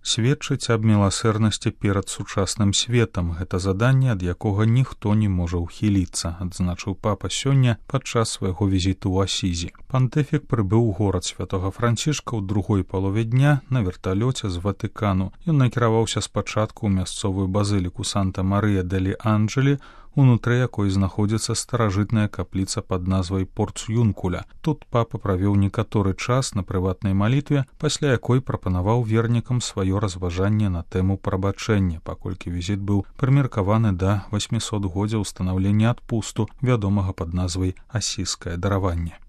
сведчыць аб міласэрнасці перад сучасным светам. Гэта заданне, ад якога ніхто не можа ўхіліцца, адзначыў папа сёння падчас свайго візіту ў Асізі. Пантэфік прыбыў у горад святога Францішка ў другой палове дня на верталёце з Ватыкану. Ён накіраваўся спачатку ў мясцовую базыліку Санта-Марыя-дэлі-Анджелі, унутры якой знаходзіцца старажытная капліца пад назвай Порцюнкуля. Тут папа правёў некаторы час на прыватнай малітве, пасля якой прапанаваў вернікам сваё разважанне на тэму прабачэння, паколькі візіт быў прымеркаваны да 800годдзя ўстанаўлення адпусту, вядомага пад назвай Асізскае дараванне.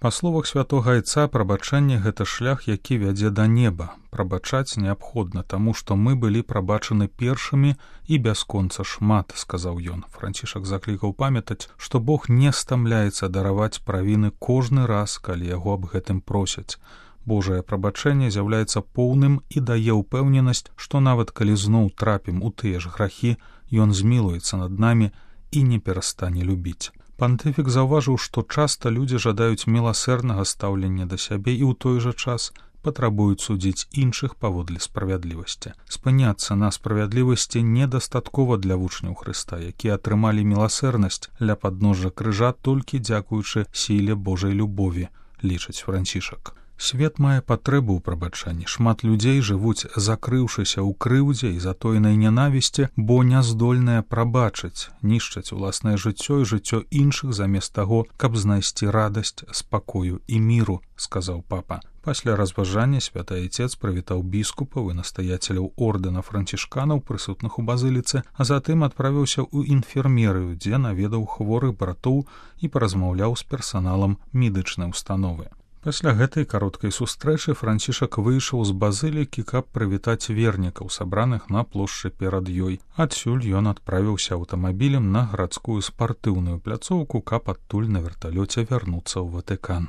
Па словах святога айца, прабачэнне — гэта шлях, які вядзе да неба. Прабачаць неабходна, таму што мы былі прабачаны першымі і бясконца шмат, сказаў ён. Францішак заклікаў памятаць, што Бог не стамляецца дараваць правіны кожны раз, калі яго аб гэтым просяць. Божае прабачэнне з'яўляецца поўным і дае ўпэўненасць, што нават калі зноў трапім у тыя ж грахі, ён змілуецца над намі і не перастане любіць. Пантэфік заўважыў, што часта людзі жадаюць міласэрнага стаўлення да сябе і ў той жа час патрабуюць судзіць іншых паводле справядлівасці. Спыняцца на справядлівасці недастаткова для вучняў Хрыста, якія атрымалі міласэрнасць ля падножжа крыжа толькі дзякуючы сіле Божай любові, лічыць Францішак. Свет мае патрэбу ў прабачанні. Шмат людзей жывуць, закрыўшыся ў крыўдзе і затоенай нянавісці, бо не здольныя прабачыць, нішчаць уласнае жыццё і жыццё іншых замест таго, каб знайсці радасць, спакою і міру, сказаў папа. Пасля разважання святы айцец прывітаў біскупаў і настаяцеляў ордэна францішканаў, прысутных у базыліцы, а затым адправіўся ў інфермерыю, дзе наведаў хворых братоў і паразмаўляў з персаналам медычнай установы. Пасля гэтай кароткай сустрэчы Францішак выйшаў з базылікі, каб прывітаць вернікаў, сабраных на плошчы перад ёй. Адсюль ён адправіўся аўтамабілем на гарадскую спартыўную пляцоўку, каб адтуль на верталёце вярнуцца ў Ватыкан.